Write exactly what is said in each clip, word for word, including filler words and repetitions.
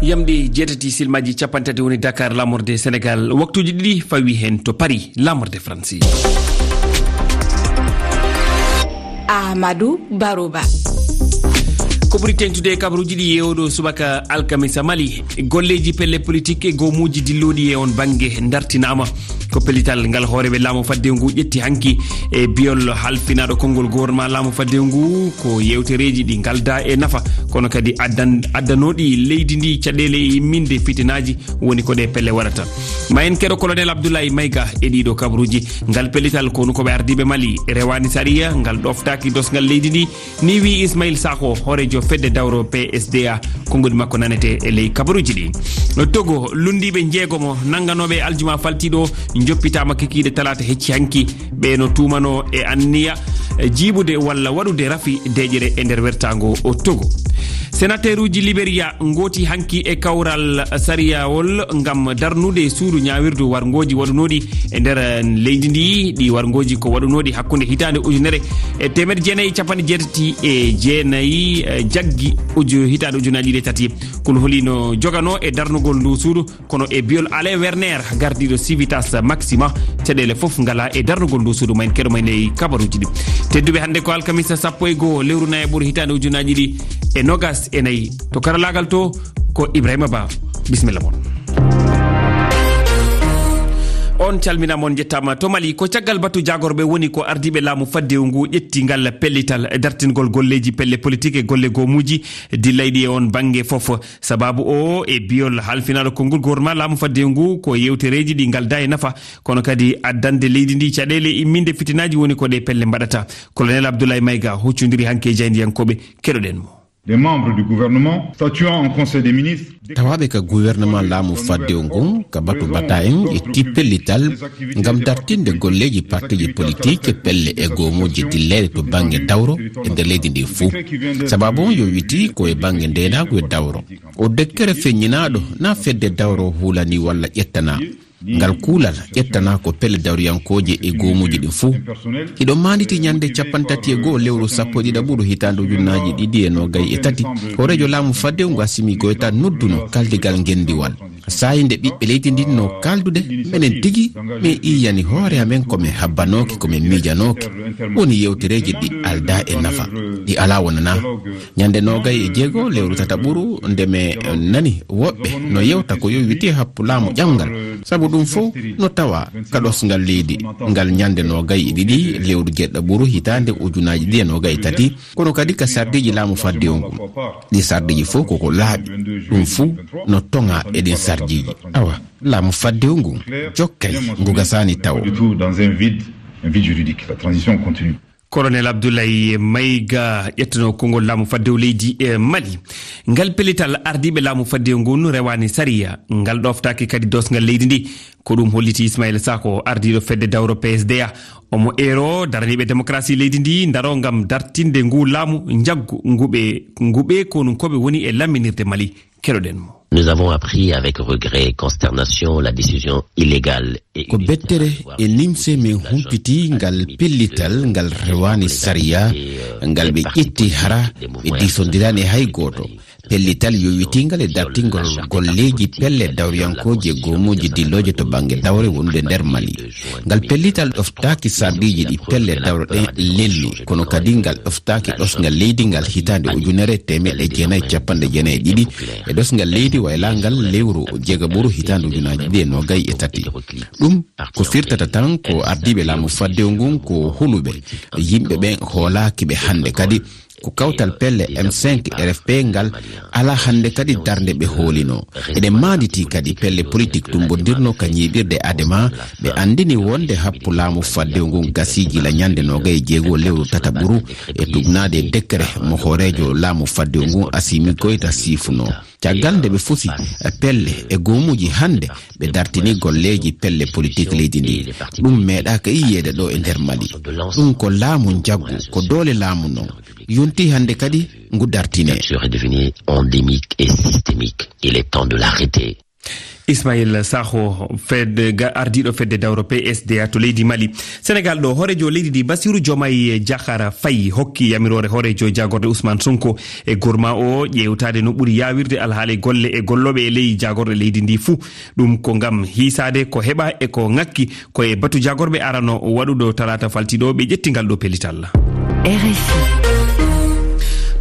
Yamɗe jeetati, silmaji capanɗe tati woni Dakar, laamorde Senegal. Waktuji ɗiɗi fawi hen to Paris, laamorde Faransi. Amadou Baroba. Ko ɓuri teŋtude e kabaruji ɗi e oɗo subaka alkamisa Mali, golleji pelle politique e goomuji dilloɗi e on bannge dartinaama. Ko pellital ngal hooreeɓe laamu fadde ngu ƴetti hanki e biyol halfinaɗo konngol gouvernement laamu fadde ngu, ko yewtereji ɗi ngalda e nafa, kono kadi addan-, addanoɗi leydi ndi caɗeele e imminde fitinaji woni ko ɗe pelle waɗata. Ma en keɗo Colonel Abdoulaye Maïga e ɗiɗo kabaruji. Ngal pellital ko woni ko ɓe ardiiɓe Mali rewani sariya, ngal ɗoftaaki dosngal leydi ndi, ni wi Ismail Sakho, hoorejo fedde dawro P S D A, konngol makko nanete e ley kabaruji ɗi. Togo, lunndiiɓe njeegomo nannganooɓe aljuma faltiiɗo njoppitaama kikiiɗe talaata hecci hanki. Ɓe no tuumano e anniya, e jiiɓude walla waɗude rafi deeƴere e nder wertaango o Togo. Senateuruji Liberia ngooti hanki e kawral sariyawol ngam darnude suudu ñaawirdu warngooji waɗunooɗi e nder leydi ndi. Ɗi warngooji ko waɗunooɗi hakkunde hitaande ujunere e teemedde jeenayi e capanɗe jeetati e jeenayi, eh, jaggi uju-, hitaande ujunaaji ɗiɗi e tati. Kulhuli no jogano e darnugol ndu suudu, kono e biyol Alain Werner, gardiiɗo Civitas Maxima, caɗeele fof ngala e darnugol ndu suudu. Ma en keɗo ma en e kabaruji ɗi. Tedduɓe, hannde ko alkamisa sappo e goo lewru nayaɓuru hitaande ujunaaji ɗiɗi e nogas e nayi. To karalaagal to ko Ibrahima Ba. Bisimilla mon. On calminama, on jettama. To Mali, ko caggal batu jaagorɓe woni ko ardiiɓe laamu faddewu ngu ƴetti ngal pellital e dartingol golleji pelle politique e golle goomuji dillayɗi e on bannge fof. Sababu o e biyol halfinaɗo konngol gouvernement laamu faddewu ngu ko yewtereji ɗi ngalda e nafa, kono kadi addande leydi ndi caɗeele imminde fitinaji woni ko ɗe pelle mbaɗata. Colonel Abdoulaye Maïga huccondiri hanki e jaayndiyankoɓe. Keɗoɗen mo. Des membres du gouvernement statuant en conseil des ministres. Tawaɓe ka gouvernement laamu faddewu ngu, ka batu bata en, ƴetti pellital ngam dartinde golleji partiji politique, pelle e goomuji dilleɗe to bannge dawro e nder leydi ndi fuu. Sababu on yo witi ko e bannge ndeenaagu e dawro. O dekkere feññinaaɗo na fedde dawro hulani walla ƴettana. Ngal kuulal ƴettana ko pelle dawriyankooje e goomuuji ɗin fuu. Hiɗo maanditi ñande capanɗe tati e go'o lewru sappo e ɗiɗaɓuru hitaande ujunnaaji ɗiɗi e noogay e tati, hooreejo laamu faddewu ngu Assimi Goïta nodduno kaldigal ngenndiwal. Saa'i nde ɓiɓɓe leydi ndin no kaaldude, menen tigi, min iyani hoore amen ko min habbanooki, ko min miijanooki. Woni yewtereeji ɗi aldaa e nafa, ɗi alaa wonanaa. Ñande noogay e jeego lewru tataɓuru, nde mi nani woɓɓe no yewta ko yo witi happu laamu ƴamngal, sabu ɗum fof no tawa ka ɗosngal leydi ngal ñande noogay e ɗiɗi lewru jeeɗiɗaɓuru hitaande ujunaaji ɗiɗi e noogay e tati, kono kadi ka sarɗiiji laamu faddewu ngu. Ɗi sarɗiiji fof koko laaɓi, ɗum fuu no toŋa e ɗin sarɗiiji. Awa, laamu faddewu ngu jokkay ngu gasaani tawo. Dans un vide, un vide juridique. La transition continue. Colonel Abdoulaye Maïga, ƴettuno konngol laamu faddewu leydi e Mali. Ngal pellital ardiiɓe laamu faddewu ngun rewaani sariya, ngal ɗoftaaki kadi dosngal leydi ndi. Ko ɗum holliti Ismaïla Sakho, ardiiɗo fedde dawro P S D A. Omo eero daraniiɓe démocratie leydi ndi ndaro ngam dartinde ngu laamu njaggu ngu ɓe, ngu ɓe konunkooɓe woni e lamminirde Mali. Keɗoɗen mo. Nous avons appris avec regret et consternation la décision illégale et... Ko bettere e nimse min humpiti ngal pellital ngal rewaani sariya, ngal ɓe ƴetti hara ɓe diisondiraani e hay gooto. Pellital yowitingal e dartingol golleeji pelle dawriyankooji e goomuuji dillooje to bannge dawre wonude nder Mali. Ngal pellital ɗoftaaki sarɗiiji ɗi pelle dawro ɗen lelni, kono kadi ngal ɗoftaaki ɗosngal leydi ngal hitaande ujunere e teemeɗɗe jeenayi e capanɗe jeenayi e ɗiɗi e ɗosngal leydi wayla ngal lewru jeegaɓuru hitaande ujunaaji ɗiɗi e noogay e tati. Ɗum ko firtata tan ko ardiiɓe laamu faddewu ngun ko huluɓe, yimɓe ɓen hoolaaki ɓe hannde kadi. Ko kawtal pelle M cinq R F P ngal alaa hannde kadi darnde ɓe hoolino. Eɗen maanditii kadi pelle politik tumbondirno ka ñiiɓirde Adema, ɓe anndini wonde happu laamu faddewu ngun gasii gila ñande noogay e jeego lewru tataɓuru e tugnaade e dekkere mo hooreejo laamu faddewu ngun Assimi Goïta siifuno. Caggal nde ɓe fusi pelle e goomuuji, hannde ɓe dartini golleeji pelle politik leydi ndi. Ɗum meeɗaaka yiyeede ɗo e nder Mali. Ɗum ko laamu njaggu, ko doole laamu non. Yonti hannde kadi ngu dartine. Dictature est devenue endémique et systémique. Il est temps de l'arrêter. Ismail Sakho, fedde ga-, ardiiɗo fedde dawro P S D A to leydi Mali. Senegal ɗo, hooreejo leydi ndi Bassirou Diomaye Diakhar Faye hokki yamiroore hooreejo jaagorɗe Ousmane Sonko e gorma o ƴeewtaade no ɓuri yaawirde alhaali golle e gollooɓe e ley jaagorɗe leydi ndi fuu. Ɗum ko ngam hiisaade ko heɓa e ko ŋakki ko e batu jaagorɓe arano waɗuɗo talaata faltiiɗo ɓe ƴetti ngal ɗo pellital. R F I.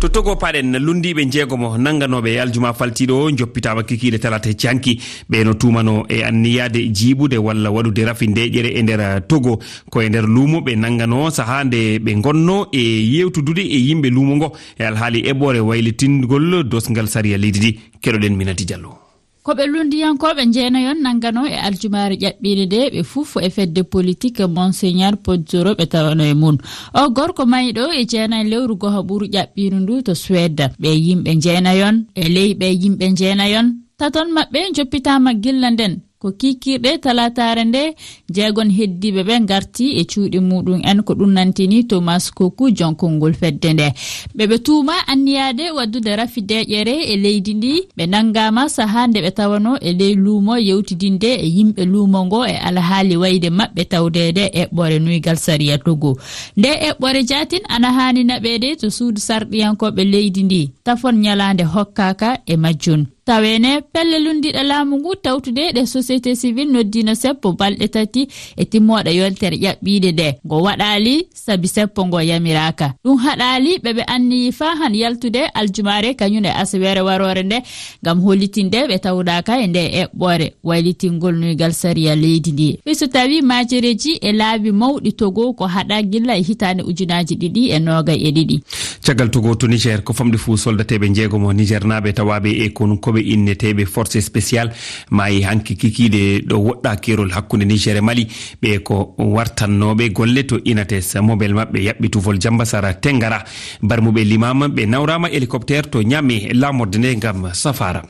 To Togo paɗen, lunndiiɓe njeegomo nannganooɓe e aljuma faltiiɗo o njoppitaama kikiiɗe talaata hecci hanki. Ɓe no tuumano e anniyaade jiiɓude walla waɗude rafi ndeeƴere e nder Togo. Ko e nder luumo ɓe nannganoo sahaa nde ɓe ngonnoo e yeewtudude e yimɓe luumo ngo e alhaali eɓɓoore waylitingol dosngal sariya leydi ndi. Keɗoɗen Minati Diallo. Ko ɓe lunndiyankooɓe njeenayon nannganoo e aljumaare ƴaɓɓiinde nde, ɓe fof e fedde politik Monseigneur Pozzoro ɓe tawano e mum. O gorko mayɗo e jeenay lewru goho ɓuru ƴaɓɓiindu ndu to Suède. Ɓe yimɓe njeenayon, e ley ɓe yimɓe njeenayon, taton maɓɓe njoppitaama gilla nden. Ko kiikiiɗe talaataare nde, jeegon heddiiɓe ɓe ngarti e cuuɗi muɗum en, ko ɗum nantini Thomas Koku, jonkongol fedde nde. Ɓe ɓe tuuma anniyaade waddude rafi deeƴere e leydi ndi. Ɓe nanngaama sahaa nde ɓe tawano e ley luumo yewtidinde e yimɓe luumo ngo e alhaali wayde maɓɓe tawdeede e eɓɓore nuygal sariya Togo. Nde eɓɓore jaatin ana haani naɓeede to suudu sarɗiyankooɓe leydi ndi, tafon ñalaande hokkaaka e majjun. Taweene, pelle lunndiiɗe laamu ngu tawtude ɗe société civile noddiino seppo balɗe tati e timmooɗe yontere ƴaɓɓiinde nde. Ngo waɗaali sabi seppo ngo yamiraaka. Ɗum haɗaali ɓe ɓe anniyi faa han yaltude aljumaare kañum e asaweere waroore nde ngam hollitinde ɓe tawdaaka e nde eɓɓoore waylitingol nuygal sariya leydi ndi. Fii so tawii maajereeji e laabi mawɗi Togo ko haɗa gilla e hitaande ujunaaji ɗiɗi e noogay e ɗiɗi. Caggal Togo to Niger, ko famɗi fuu soldateeɓe njeegomo Nigernaaɓe tawaaɓe e konkoɓe inneteeɓe Force Spéciale maayi hanki kikiiɗe ɗo woɗɗaa keerol hakkunde Niger e Mali. Ɓe ko wartannooɓe golle to Inates, mobel maɓɓe yaɓɓi tufol Jambasara Tengara. Barmuɓe limaama ɓe nawraama hélicoptère to Niamey laamorde nde ngam safaara.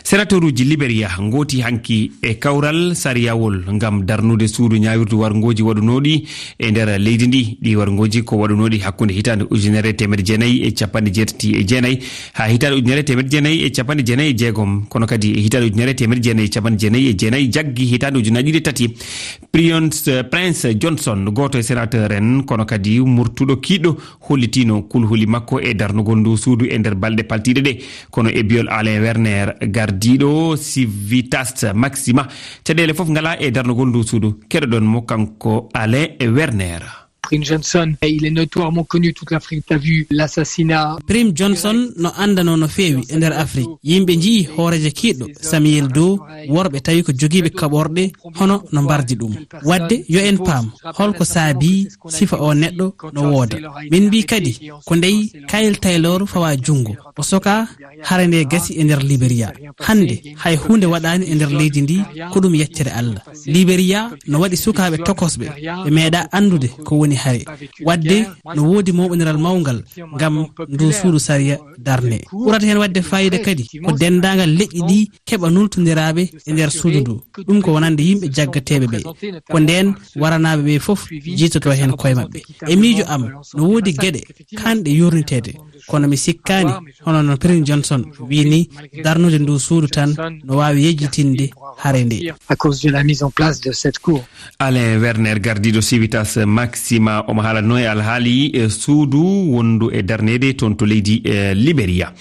Senatoruuji Liberia ngooti hanki e kawral sariyawol ngam darnude suudu ñaawirdu warngooji waɗunooɗi e nder leydi ndi. Ɗi warngooji ko waɗunooɗi hakkunde hitaande ujunere teemedde jeenayi e capanɗe jeetati e jeenayi haa hitaande ujunere teemedde jeenayi e capanɗe jeenayi e jeegom, kono kadi e hitaande ujunere teemedde jeenayi e capanɗe jeenayi e jeenayi jaggi hitaande ujunaaji ɗiɗi e tati. Prince, Prince Johnson, gooto e senateur en, kono kadi murtuɗo kiiɗɗo, hollitino kulhuli makko e darnugol ndu suudu e nder balɗe paltiiɗe ɗe. Kono e biyol Alain Werner, gardiiɗo Civitas Maxima, caɗeele fof ngala e darnugol ndu suudu. Keɗoɗon mo kanko Alain Werner. Prim Johnson, il est notoirement connu, toute l'Afrique a vu l'assassinat. Prim Johnson no anndano no feewi e nder Afrique. Yimɓe njii hooreejo kiiɗɗo, Samuel Doe, worɓe tawi ko jogiiɓe kaɓorɗe, hono no mbardi ɗum. Wadde yo en paam holko saabii sifa o neɗɗo no wooda. Min mbii kadi ko ndey Kyle Taylor fawa junngo. O soka hare nde gasi e nder Liberia. Hannde hay huunde waɗaani e nder leydi ndi, ko ɗum yeccere Allah. Liberia no waɗi sukaaɓe tokosɓe, ɓe meeɗa anndude ko woni hare. Wadde no woodi mawɓindiral mawngal ngam ndu suudu sariya darne. Ɓurata heen waɗde faayiida kadi ko denndaangal leƴƴi ɗi keɓa nultondiraaɓe e nder suudu ndu. Ɗum ko wonande yimɓe jaggateeɓe ɓe. Ko ndeen waranaaɓe ɓe fof jiitoto heen koye maɓɓe. E miijo am, no woodi geɗe kaanɗe yurniteede, kono mi sikkaani, hono no Prince Johnson wiyi ni, darnude ndu suudu tan no waawi yejjitinde hare nde. À cause de la mise en place de cette cour. Alain Werner, gardiiɗo Civitas Maxima, omo haalatnoo e alhaali, e suudu wondu e darneede toon to leydi, e Liberia.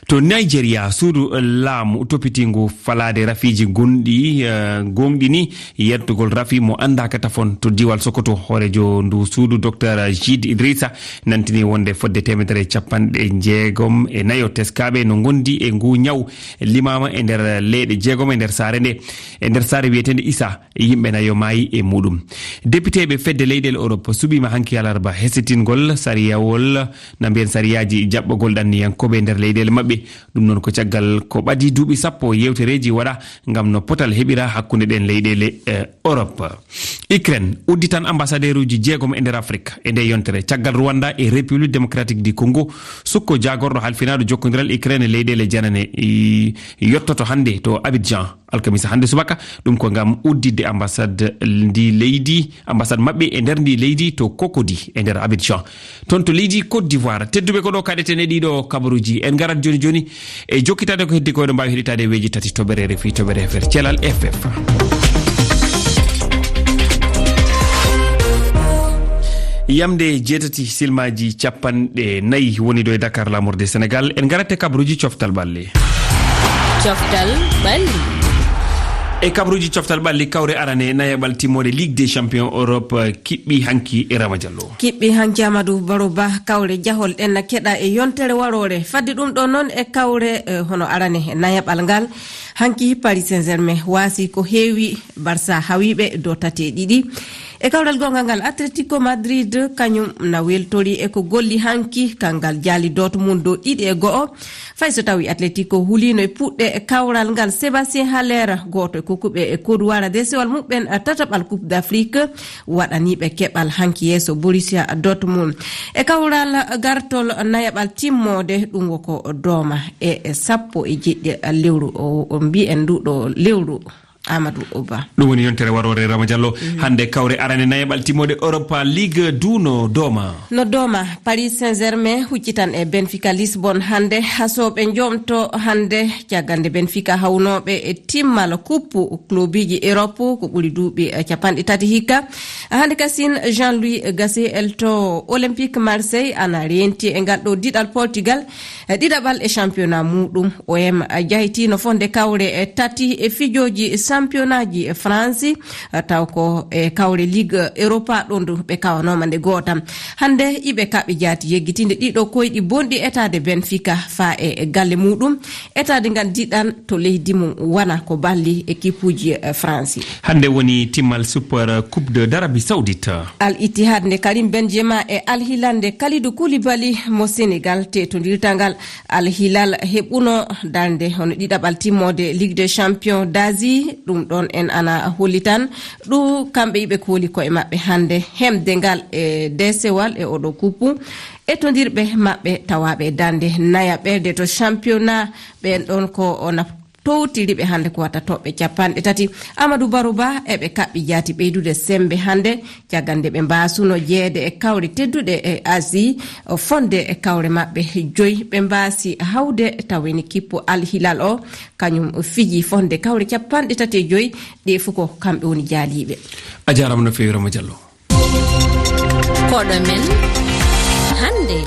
To Nigeria, suudu laamu toppitiingu falaade rafiiji gonɗi, e, gooŋɗini yettugol rafi mo anndaaka tafon to diiwal Sokoto. Hooreejo ndu suudu, Docteur Jide Idrissa, nantini wonde fodde teemedere e capanɗe jeegom e nayo teskaaɓe no ngondi e ngu ñaw limaama e nder leyɗe jeegom e nder saare nde, e nder saare wiyeteende Isa, yimɓe nayo maayi e muɗum. Depiteeɓe fedde leyɗeele Europe suɓiima hanki alarba hesitingol sariyawol, na mbiyen sariyaaji jaɓɓagol ɗanniyankooɓe e nder leyɗeele maɓɓe. Ɗum noon ko caggal ko ɓadii duuɓi sappo yewtereeji waɗa ngam no potal heɓira hakkunde ɗeen leyɗeele, eh, Europe. Ukraine udditan ambassadeeruuji jeegom e nder Afrik e nde yontere, caggal Rwanda e République Démocratique du Congo. Sukko jaagorɗo halfinaaɗo jokkondiral Ukraine e leyɗeele janane, i, yottoto hannde to Abidjan. alkamisa hannde subaka. Ɗum ko ngam udditde ambassade ndi leydi, ambassade maɓɓe e nder ndi leydi to Cocody e nder Abidjan, toon to leydi Côte d'Ivoire. Tedduɓe, ko ɗo kaɗeten e ɗiɗo kabaruuji. En ngarat jooni jooni e jokkitaade ko heddi ko, eɗo mbaawi heɗitaade weeji tati toɓɓere R F I, toɓɓere F R, Thelal F F. Yamde jeetati silmaaji capanɗe nayi woni ɗo e Dakar, laamorde Senegal. En ngarat e kabaruuji coftal ɓalli. Coftal ɓalli. E kabaruuji coftal ɓalli, kawre arane nayaɓal timmoode Ligue des Champions Europe, eh, kiɓɓi hanki e Rama Diallo. Kiɓɓi hanki Amadou Baro Ba, kawre jahol ɗen na keɗa e yontere waroore. Fadde ɗum ɗo noon e kawre, eh, hono arane nayaɓal ngal. Hanki Paris Saint-Germain waasi ko heewi Barça hawiiɓe do tati e ɗiɗi. E kawral goonga ngal, Atletico Madrid kañum na weltori e ko golli hanki, kanngal jaali Dortmund dow ɗiɗi e go'o. Fay so tawi Atletico huliino e puɗɗe kawral ngal, Sébastien Haller, gooto e kokkuɓe e koduwara desewal muɓɓen tataɓal Coupe d'Afrique, waɗaniiɓe keɓal hanki yeeso Borussia Dortmund. E kawral gartol nayaɓal timmoode, ɗum woko dooma e sappo e jeɗɗi lewru o, o mbiyen ndu ɗo lewru. Amadou Ba. Ɗum woni yontere waroore, Rama Diallo. Mhm. Hannde kawre arane nayaɓal timmoode Europa League du no dooma. No dooma, Paris Saint-Germain huccitan e Benfica Lisbon hannde. Hasooɓe njoomto hannde, caggal nde Benfica hawnooɓe e timmal kuppu klubiji Europe ko ɓuri duuɓi, eh, capanɗe tati hikka. Hannde kasin, Jean-Louis Gasset elto Olympique Marseille ana reenti e ngal ɗo diɗal Portugal. E ɗiɗaɓal e championnat muɗum, O M jahitino fonde kawre e tati e fijooji championnatji e France, taw ko e kawre Ligue Europa ɗon du ɓe kawanoma nde gootam. Hannde iɓe kaɓɓi jaati yeggitinde ɗiɗo koyɗi bonɗi etaade Benfica faa e galle muɗum, etaade ngal diɗan to leydi mum wona ko balli ekipuji, eh, France. Hannde woni timmal Super Coupe de d'Arabie Saoudite. Al Ittihad nde Karim Benzema e Al Hilal nde Kalidou Koulibaly mo Senegal teetondirta ngal. Al Hilal heɓuno darnde hono ɗiɗaɓal timmoode Ligue des Champions d'Asie. Ɗum ɗon en ana hollitan ɗum kamɓe iɓe kooli koye maɓɓe hannde hemde ngal e deesewal e oɗo kuppu. Etondirɓe maɓɓe tawaaɓe e darnde nayaɓerde to championnat, ɓen ɗon ko ona towtiri ɓe hannde ko wata toɓɓe capanɗe tati. Amadou Barou Ba eɓe kaɓɓi jaati ɓeydude semmbe hannde, caggal nde ɓe mbaasuno jeyeede e kawre tedduɗe e Asie, fonde e kawre maɓɓe joyi. Ɓe mbaasi hawde taw woni kippu Al Hilal o, kañum fiji fonde kawre capanɗe tati e joyi, ɗe fof ko kamɓe woni jaaliiɓe. A jaaraama no feewi, Rama Diallo. Koɗo men hannde.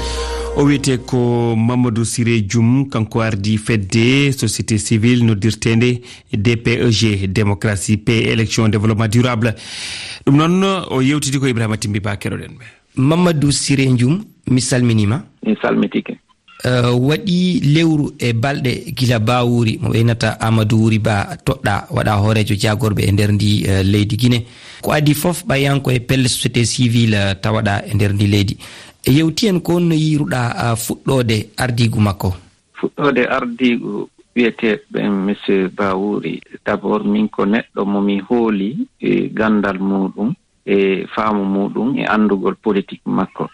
O wiyetee ko Mamadou Siré Dioum, kanko ardii fedde société civile noddirteende D P E G, Démocratie, Paix, Élection, Développement Durable. Ɗum noon, o yewtidi ko Ibrahima Timbi Ba, keɗoɗen ɓe. Mamadou Siré Dioum, mi salminiima. Mi salmitike. Eh, waɗi lewru e balɗe gila Ba Wuri, mo ɓeynata Amadou Wuri Ba, toɗɗa waɗa hooreejo jaagorɓe e nder ndi, eh, leydi Gine. Ko adii fof, ɓayanko e pelle société civile, eh, tawaɗa e nder ndi leydi. Yewti en ko honno yiiruɗa, ah, fuɗɗoode ardiigu makko? Fuɗɗoode ardiigu wiyeteeɓe Monsieur Ba Wuri, d'abord, min ko neɗɗo mo mi hooli e ganndal muɗum, e faamu muɗum, e anndugol politik makko.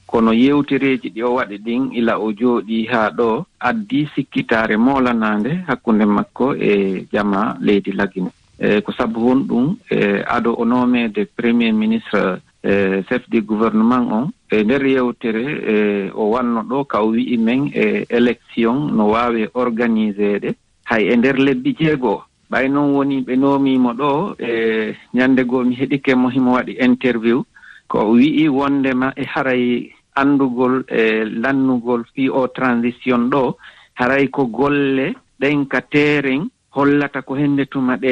Kono yewtereeji ɗi o waɗi ɗin, ila o jooɗii haa ɗo, addi sikkitaare moolanaande hakkunde makko e jamaa leydi Lagine. E ko sabu honɗum, e ado o noomeede Premier Ministre, e chef du gouvernement on, e nder yewtere, e o wanno ɗo ka o wi'i men, e élection no waawi organiseede hay e nder lebbi jeego. Ɓay non woni ɓe noomii mo ɗo, e ñande goo mi heɗike mo himo waɗi interview, ko o wi'i wondema e haray anndugol e lannugol fii o transition ɗo, haray ko golle ɗen ka teeren hollata ko hende tuma ɗe,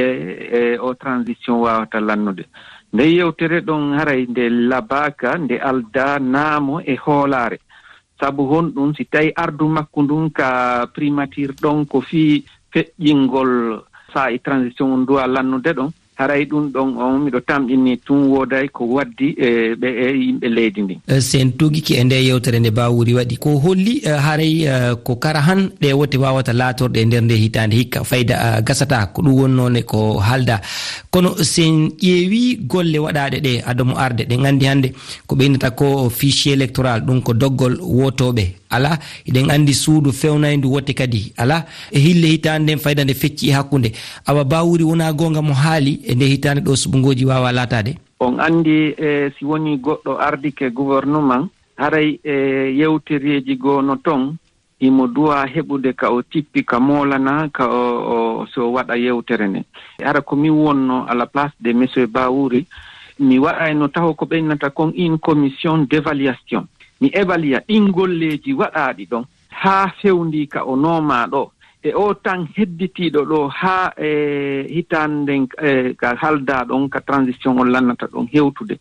e o transition waawata lannude. Nde yewtere ɗon haray nde labaaka, nde aldaa naamo e hoolaare. Sabu honɗum, si tawi ardu makko ndun ka primature ɗon ko fii feƴƴingol saa'i transition on duwa lannude ɗon, haray ɗum ɗon on miɗo tamƴini tun wooday ko waddi e ɓe e yimɓe leydi ndin. Eh, sen tugike e nde yewtere nde Ba Wuri waɗi, ko holli, eh, haray, eh, ko kara han ɗe wote wawata laatorɗe e nder nde hitaande hikka, fayda, eh, gasata, ko ɗum wonnoo ne ko haalda. Kono sen ƴeewi golle waɗaaɗe ɗe ado mo arde, ɗen anndi hannde ko ɓeynata ko fichier électoral, ɗum ko doggol wotooɓe. Alaa, hiɗen anndi suudu fewnayndu wote kadi alaa. E hille hitaande nden fayda nde fecci e hakkunde. Awa Bawuri wonaa goonga mo haali e nde hitaande ɗo suɓngooji waawa laataade? On anndi, e, si woni goɗɗo ardike gouvernement, haray, e, yewtereeji goo no ton, himo duwaa heɓude ka o tippi, ka moolana, ka o, o, so waɗa yewtere nden. Hara ko min wonno à la place de monsieur Bawuri, mi waɗayno taho ko ɓe innata kon une commission d'évaluation. Mi évalua ɗin golleeji waɗaaɗi ɗon haa fewndii ka o noomaa ɗo. E o tan hedditiiɗo ɗo haa e hitaande nden, e, ka haldaa ɗon, ka transition on lannata ɗon hewtude.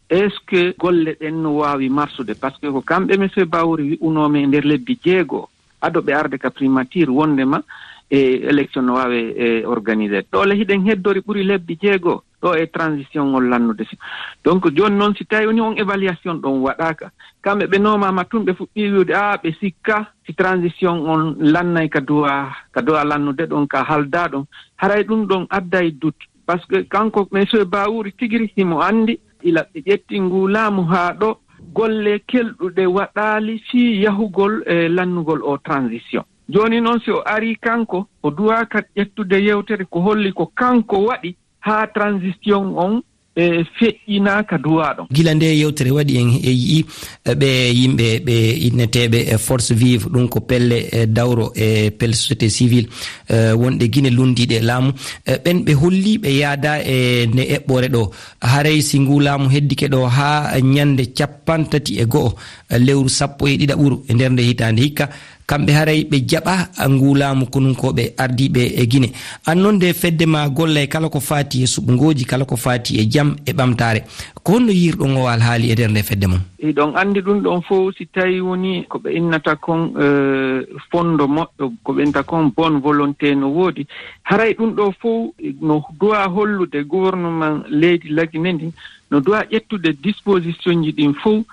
Est-ce que golle ɗen no waawi marsude? Parce que ko kamɓe monsieur Bawuri wi'unoo men e nder lebbi jeego, ado ɓe arde ka primature wondema e élection no waawe, e, organiser. Ɗo le hiɗen heddori ɓuri lebbi jeego ɗo e transition on lannude. Si, donc jooni noon si tawi woni on évaluation ɗon waɗaaka, kamɓe ɓe noomaama tun ɓe fuɗɗii wi'ude, a, ɓe sikka si transition on lannay ka duwa, ka duwa lannude ɗon, ka haldaa ɗon. Haray ɗum ɗon adday doute. Parce que kanko, monsieur Bawuri tigiri himo anndi, ila ɓe ƴetti ngu laamu haa ɗo, golle kelɗuɗe waɗaali fii yahugol e lannugol o transition. Jooni noon, si o arii kanko, o duwaaka ƴettude yewtere ko holli ko kanko waɗi haa transition on, e, feƴƴinaa ka duwaa ɗon. Gila nde yewtere waɗi, en e yi'i, e, ɓe yimɓe ɓe inneteeɓe, e, Force Vive, ɗum ko pelle, e, dawro, e, pelle société civile, e, wonɗe Gine lunndiiɗe e laamu, e, ɓen ɓe holli ɓe yaada e nde eɓɓore ɗo. Haray si ngu laamu heddike ɗo haa ñannde cappanɗe tati e go'o, e, lewru sappo e ɗiɗaɓuru e nder nde hitaande hikka, kamɓe haray ɓe jaɓa ngu laamu konunkooɓe ardiiɓe e Gine. An noon nde fedde ma golla e kala ko faati e suɓngooji, kala ko faati e jam e ɓamtaare. Ko honno yiirɗon o alhaali e nder nde fedde mon? Hiɗon anndi ɗum ɗon fow, si tawi woni ko ɓe innata kon, eh, fondo moƴƴo, ko ɓe innata kon bonne volonté no woodi. Haray ɗum ɗo fow no duwa hollude gouvernement leydi Lagine ndin, no duwa ƴettude disposition ji ɗin fow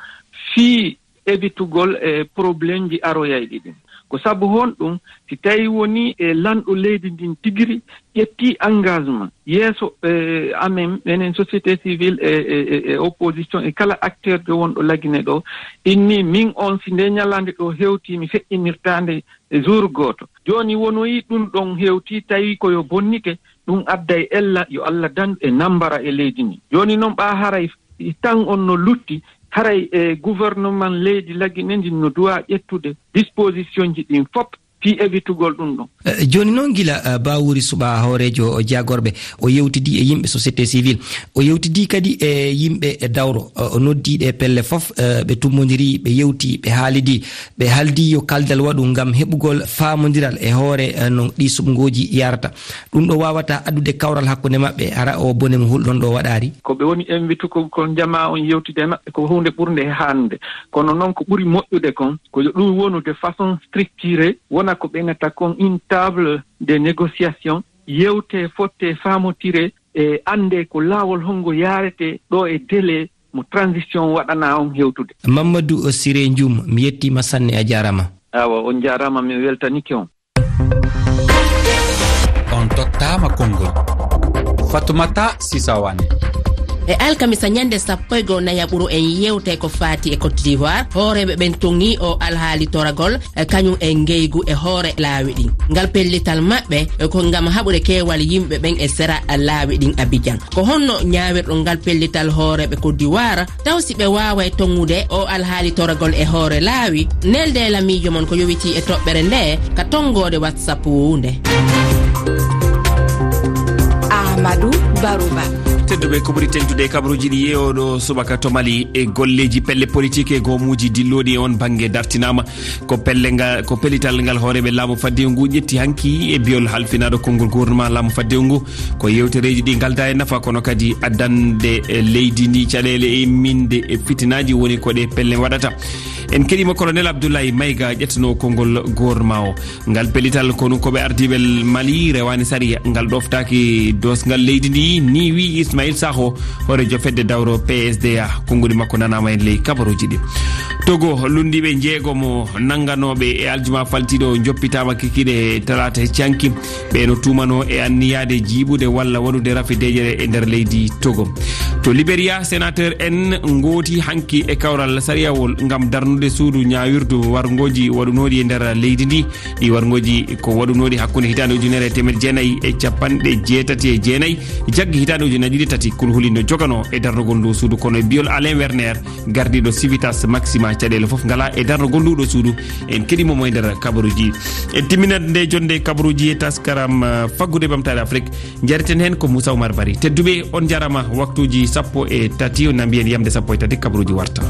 fii evitugol e problème ji aroyayɗi ɗin. Ko sabu honɗum? Si tawi woni e lanɗo leydi ndin tigiri ƴetti engagement yeeso, e, amen, menen société civile e, e, e, e opposition e kala acteur ɓe wonɗo Lagine ɗo, inni min on si nde ñalande ɗo hewti mi feƴƴinirtaande e jour gooto. Jooni wonoyi ɗum ɗon hewti tawi ko yo bonnite, ɗum adday ella yo Allah dandu e nambara e leydi ndi. Jooni noon ɓa haray tan on no lutti, haray e gouvernement leydi Lagine ndin no duwa ƴettude disposition ji ɗin fop fii evitugol ɗum ɗon. Eh, jooni noon gila, eh, Bawuri Suɓa hooreejo jagorɓe, o yewtidi e yimɓe société civile, o yewtidi kadi e yimɓe e dawro, o, o noddi ɗe pelle fof, eh, ɓe tummondiri, ɓe yewti, ɓe haalidi, ɓe haldi yo kaldal waɗu ngam heɓugol faamondiral e hoore, eh, no ɗi suɓngooji yarata. Ɗum ɗo waawata addude kawral hakkunde maɓɓe, hara o bone mo hulɗon ɗo waɗaari? Ko ɓe woni invitugol kon jamaa on yewtida e maɓɓe ko huunde ɓurnde e hannde. Kono noon ko ɓuri moƴƴude kon, ko yo ɗum wonu de façon structurée, wona ko ɓe innata kon une table de négociation, yewte, fotte, faamotire, e annde ko laawol hongo yaarete ɗo e délai mo transition waɗana on hewtude. Mamadou Siré Ndioum, mi yettiima sanne, a jaaraama. Awa, on jaaraama, mi weltanike on. On tottaama konngol. Fatoumata Sisa Wane. E alkamisa ñande sappo e goo nayaɓuru en yewtay ko faati e Côte d'Ivoire. Hooreeɓe ɓen toŋi o alhaali toragol, e kañum e ngeygu e hoore laawi ɗin. Ngal pellital maɓɓe, e ko ngam haɓude keewal yimɓe ɓen e sera laawi ɗin Abidjan. Ko honno ñaawirɗon ngal pellital hooreeɓe Côte d'Ivoire? Taw si ɓe waaway toŋude o alhaali toragol e hoore laawi, nelde la miijo mon ko yowitii e toɓɓere nde ka tonngoode WhatsApp nde. Ahmadou Barouba. Tedduɓe, ko ɓuri teŋtude e kabaruuji ɗi e oɗo subaka to Mali, e golleeji pelle politique e goomuuji dillooɗi e on bannge dartinaama. Ko pelle nga, ko pellital ngal hooreeɓe laamu faddewu ngu ƴetti hanki e biyol halfinaaɗo konngol gouvernement laamu faddewu ngu. Ko yewtereeji ɗi ngaldaa e nafa, kono kadi addande e leydi ndi caɗeele e imminde e fitinaaji woni ko ɗe pelle waɗata. En keɗiima Colonel Abdoulaye Maïga ƴettanoo konngol gouvernement o. Ngal pellital konu ko ɓe ardiiɓe Mali rewaani sariya, ngal ɗoftaaki doosgal leydi ndi, ni wi'i Ismaïl Sakho, hooreejo fedde dawro P S D A. Konnguli makko nanaama en ley kabaruuji ɗi. Togo, lunndiiɓe njeegomo nannganooɓe e aljuma faltiiɗo njoppitaama kikiiɗe talaata hecci hanki. Ɓe no tuumanoo e anniyaade jiiɓude walla waɗude rafi deeƴere e nder leydi Togo. To Liberia, sénateur en ngooti hanki e kawral sariyawol ngam darnude suudu ñaawirdu warngooji waɗunooɗi e nder leydi ndi. Ɗi warngooji ko waɗunooɗi hakkunde hitaande ujunere e teemeɗe jeenayi e capanɗe jeetati e jeenayi, jaggi hitaande ujunere ɗiɗi tati, kulhuli no joganoo e darnugol ndu suudu, kono e biyol Alain Werner, gardiiɗo Civitas Maxima, caɗeele fof ngala e darnugol ndu ɗo suudu. En keɗiima mo e nder kabaruuji. En timminat nde jonnde kabaruuji e taskaram, eh, faggude ɓamtaare Afrik. Njareten heen ko Moussa Oumar Bari. Tedduɓe, on njarama. Waktuuji sappo e tati, on na mbiyen yamde sappo e tati, kabaruuji warta.